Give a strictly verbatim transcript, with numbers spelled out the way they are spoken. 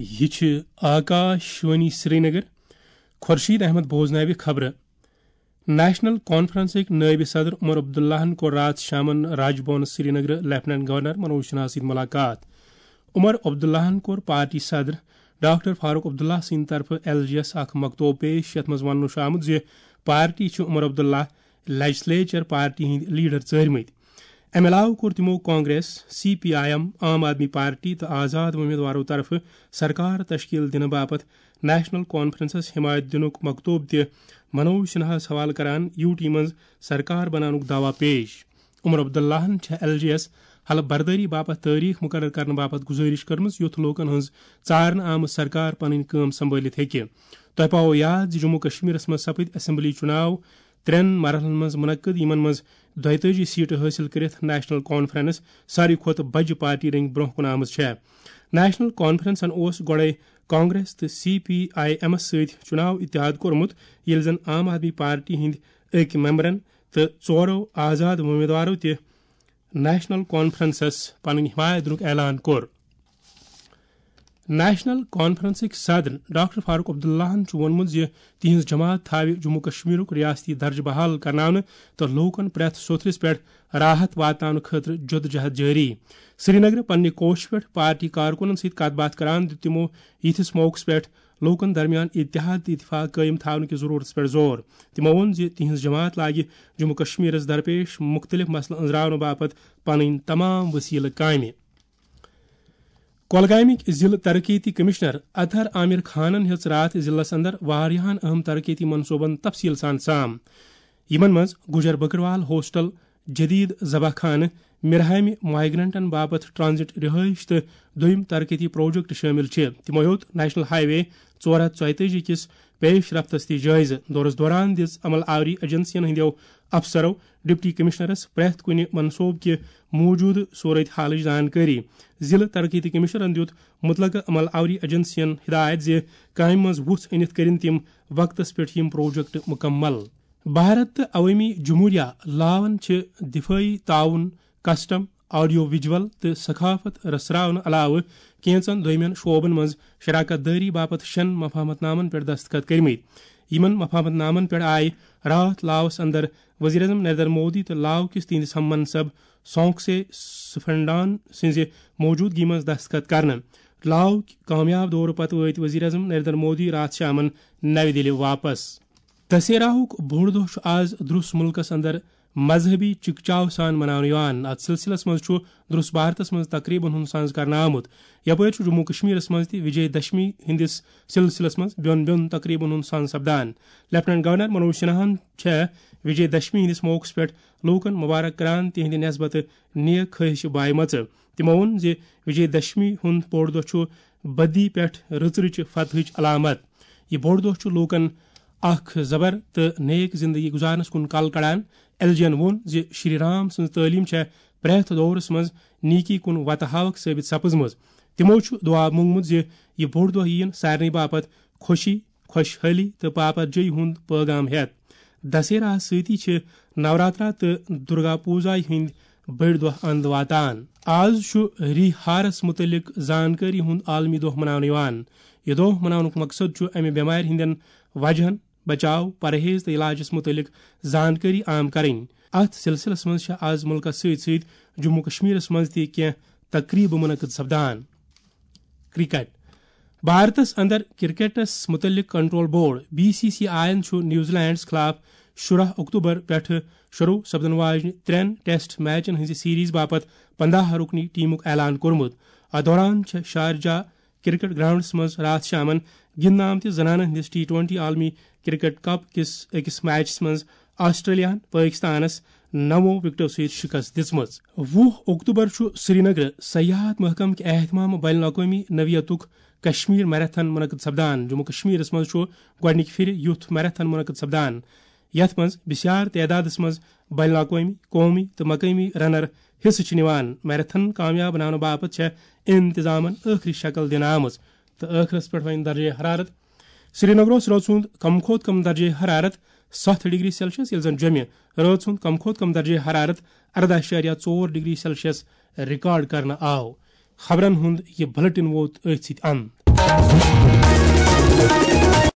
یہِ چھِ آکاش وانی سرینگر۔ خورشید احمد بوزناوِ خبرٕ۔ نیشنل کانفرنسٕکۍ نٲیِب صدر عمر عبداللہَن کوٚر راتھ شامَن راج بھون سرینگرٕ لیفٹیننٹ گورنر منوج سنہا سۭتۍ ملاقات۔ عمر عبداللہَن کوٚر پارٹی صدر ڈاکٹر فاروق عبداللہ سٕنٛدِ طرفہٕ ایل جی ایس اکھ مکتوب پیش، یَتھ منٛز وننہٕ چھُ آمُت زِ پارٹی چھِ عمر عبداللہ لیجسلیچر پارٹی ہٕنٛدۍ لیڈر ژٲرمٕتۍ۔ امہِ علاوٕ کوٚر تِمو Congress, C P I M, Aam Aadmi party تہٕ آزاد وۄمیدوارو طرفہٕ سرکار تشکیل دِنہٕ باپتھ نیشنل کانفرنسس حمایت دِنُک مکتوب تہِ منوج سنہاہَس حوالہٕ کران یو ٹی منٛز سرکار بناونُک دعویٰ پیش۔ عمر عبداللہَن چھےٚ ایل جی ایس حلف بردٲری باپتھ تٲریخ مقرر کرنہٕ باپتھ گزٲرش کٔرمٕژ، یُتھ لوکن ہٕنٛز ژارنہٕ آمٕژ سرکار پنٕنۍ کٲم سنبھٲلِتھ ہیٚکہِ۔ تۄہہِ پاوو یاد زِ جموں کشمیرس منٛز سپٕدۍ اسمبلی چُناو ترٛٮ۪ن مرحلن منٛز منعقد، یِمن منٛز دۄیتٲجی سیٹہٕ حٲصِل کٔرِتھ نیشنل کانفرنس ساروی کھۄتہٕ بجہِ پارٹی رٔنگۍ برونٛہہ کُن آمٕژ چھےٚ۔ نیشنل کانفرنسن اوس گۄڈَے کانگریس تہٕ سی پی آئی ایمس سۭتۍ چُناو اتحاد کوٚرمُت، ییٚلہِ زن عام آدمی پارٹی ہٕنٛدۍ أکۍ ممبرن تہٕ ژورو آزاد امیدوارو تہِ نیشنل کانفرنسس پنٕنۍ حمایت دِنُک اعلان کوٚر۔ نیشنل کانفرنسٕکۍ صدر ڈاکٹر فاروق عبداللہَن چھُ ووٚنمُت زِ تِہنٛز جماعت تھاوِ جموں کشمیرُک ریاستی درجہٕ بحال کرناونہٕ تہٕ لوٗکَن پرٛٮ۪تھ سوٚتھرِس پٮ۪ٹھ راحت واتناونہٕ خٲطرٕ جدوجہد جٲری۔ سرینگرٕ پننہِ کوشہِ پٮ۪ٹھ پارٹی کارکُنَن سۭتۍ کتھ باتھ کران دیُت تِمو یِتھِس موقعس پٮ۪ٹھ لوٗکَن درمیان اتحاد تہٕ اتفاق قٲیِم تھاونہٕ کِس ضروٗرتَس پٮ۪ٹھ زور۔ تِمو ووٚن زِ تِہنٛز جماعت لاگہِ جموں کشمیرَس درپیش مُختٔلِف مسلہٕ أنٛزراونہٕ باپتھ پنٕنۍ تمام وسیلہٕ کامہِ۔ کۄلگامٕکۍ ضلعہٕ ترقیتی کمشنر اطہر عامر خانن ہیٚژ راتھ ضلعس اندر واریاہن اہم ترقیتی منصوبن تفصیل سان سام۔ یِمن منٛز گجر بکروال ہاسٹل، جدید ذبح خانہٕ، مِرہامہِ مائیگرنٹن باپتھ ٹرانزٹ رہائش تہٕ دوٚیم ترقیتی پروجیکٹ شٲمِل چھِ۔ تِمو ہیوٚت نیشنل ہائی وے ژور ہتھ ژۄیتٲجی کِس پیش رفتس تہِ جٲیزٕ۔ دورس دوران دِژ عمل آوری ایجنسین ہٕنٛدیو افسرو ڈپٹی کمشنرس پرٛٮ۪تھ کُنہِ منصوبہٕ کہِ موٗجوٗدٕ صورت حالٕچ زانکٲری۔ ضلعہٕ ترقیتی کمشنرن دیُت متعلقہٕ عمل آوری ایجنسین ہدایت زِ کامہِ منٛز وُژھ أنِتھ کٔرِن تِم وقتس پٮ۪ٹھ یِم پروجیکٹ مکمل۔ بھارت تہٕ عوٲمی جمہوریہ لاون چھِ دفٲعی تعاون، کسٹم، آڈیو ویجول تہٕ ثقافت رژھراونہٕ علاوٕ کینژن دویمٮ۪ن شعبن منٛز شراکت دٲری باپتھ شٮ۪ن مفاہمت نامن پٮ۪ٹھ دستخط کٔرمٕتۍ۔ یِمن مفاہمت نامن پٮ۪ٹھ آیہِ راتھ لاوس اندر وزیر اعظم نریندر مودی تہٕ لاو کِس تِہنٛدِس ہم منصب سونکسے سفنڈان سٕنٛزِ موجودگی منٛز دستخط کرنہٕ۔ لاو کہِ کامیاب دورٕ پتہٕ وٲتۍ وزیر اعظم نریندر مودی راتھ شامن نَوِ دِلہِ واپس۔ دسہراہُک بوٚڑ دۄہ چھُ آز درُس مُلکس اندر مذہبی چکچاو سان مناونہٕ یِوان۔ اتھ سلسلس منٛز چھُ درُس بھارتس منٛز تقریبن ہُنٛد سنز کرنہٕ آمُت۔ یپٲرۍ چھُ جموں کشمیرس منٛز تہِ وجے دشمی ہٕنٛدِس سلسلس منٛز بیوٚن بیوٚن تقریبن ہُنٛد سنز سپدان۔ لیفٹیننٹ گورنر منوج سنہاہن چھےٚ وجے دشمی ہٕنٛدِس موقعس پٮ۪ٹھ لوٗکن مبارک کران تِہنٛدِ نسبتہٕ نیک خٲہشہِ بایمژٕ۔ تِمو ووٚن زِ وجے دشمی ہُنٛد بوٚڑ دۄہ چھُ بدی پٮ۪ٹھ رٕژ رٕچہِ فتحٕچ علامت۔ یہِ بوٚڑ دۄہ چھُ لوٗکن اکھ زبر تہٕ نیک زندگی گزارنس کُن کل کڑان۔ ایل جی ین ووٚن زِ شری رام سٕنٛز تعلیٖم چھےٚ پرٛٮ۪تھ دورس منٛز نیکی کُن وتہٕ ہاوکھ ثٲبت سپٕزمٕژ۔ تِمو چھُ دعا مونگمُت زِ یہِ بوٚڑ دۄہ یِیِن سارنٕے باپتھ خوشی، خۄشحٲلی تہٕ باپتھ جٲیی ہُنٛد پٲغام ہٮ۪تھ۔ دسہراہس سۭتی چھِ نوراترا تہٕ درگا پوجایہِ ہٕنٛدۍ بٔڑۍ دۄہ اند واتان۔ آز چھُ ری ہارس مُتعلق زانکٲری ہُنٛد عالمی دۄہ مناونہٕ یِوان۔ یہِ دۄہ مناونُک مقصد چھُ امہِ بٮ۪مارِ ہٕنٛدٮ۪ن وجہن، بچاو، پرہیز تہٕ علاجس مُتعلق زانکٲری عام کرٕنۍ۔ اتھ سلسلس منٛز چھِ آز مُلکس سۭتۍ سۭتۍ جموں کشمیرس منٛز تہِ کینٛہہ تقریبہٕ منعقد سپدان۔ کرکٹ۔ بھارتس اندر کرکٹس متعلق control board, B C C I ین چھُ نیوزی لینڈس خلاف شُراہ اکتوبر پٮ۪ٹھٕ شروع سپدن واجنہِ ترٛٮ۪ن ٹیسٹ میچن ہٕنٛزِ سیریز باپتھ پنداہ رُکنی ٹیمُک اعلان کوٚرمُت۔ اتھ دوران چھےٚ شارجہ کرکٹ گراؤنڈس منٛز راتھ شامن گِنٛدنہٕ آمتِس زنانن ہٕنٛدِس ٹی ٹوئنٹی عالمی کرکٹ کپ کِس أکِس میچس منٛز آسٹریلیاہن پٲکستانس نَوو وِکٹو سۭتۍ شِکست دِژمٕژ۔ وُہ اکتوبر چھُ سرینگرٕ سیاحت محکمہٕ کہِ اہتمام بین الاقوٲمی نوعیتُک کشمیر میراتھن منعقد سپدان۔ جموں کشمیرس منٛز چھُ گۄڈٕنِکہِ پھِرِ یُتھ میراتھن منعقد سپدان، یَتھ منٛز بسیار تعدادس منٛز بین الاقوٲمی، قومی تہٕ مقٲمی رنر حصہٕ چھِ نِوان۔ میراتھن کامیاب بناونہٕ باپتھ چھےٚ انتظامن ٲخری شکل دِنہٕ آمٕژ۔ تہٕ ٲخرس پٮ۪ٹھ وۄنۍ درجہ حرارت۔ سرینگرس رٲژ ہُنٛد کم کھۄتہٕ کم درجہ حرارت ستھ ڈگری سیلسیس، ییٚلہِ زن جوٚمہِ رٲژ ہُنٛد کم کھۄتہٕ کم درجہ حرارت ارداہ اعشاریہ ژور ڈگری سیلسیس ریکارڈ کرنہٕ آو۔ خبرن ہُنٛد یہِ بُلٹن ووت أتھۍ سۭتۍ اند۔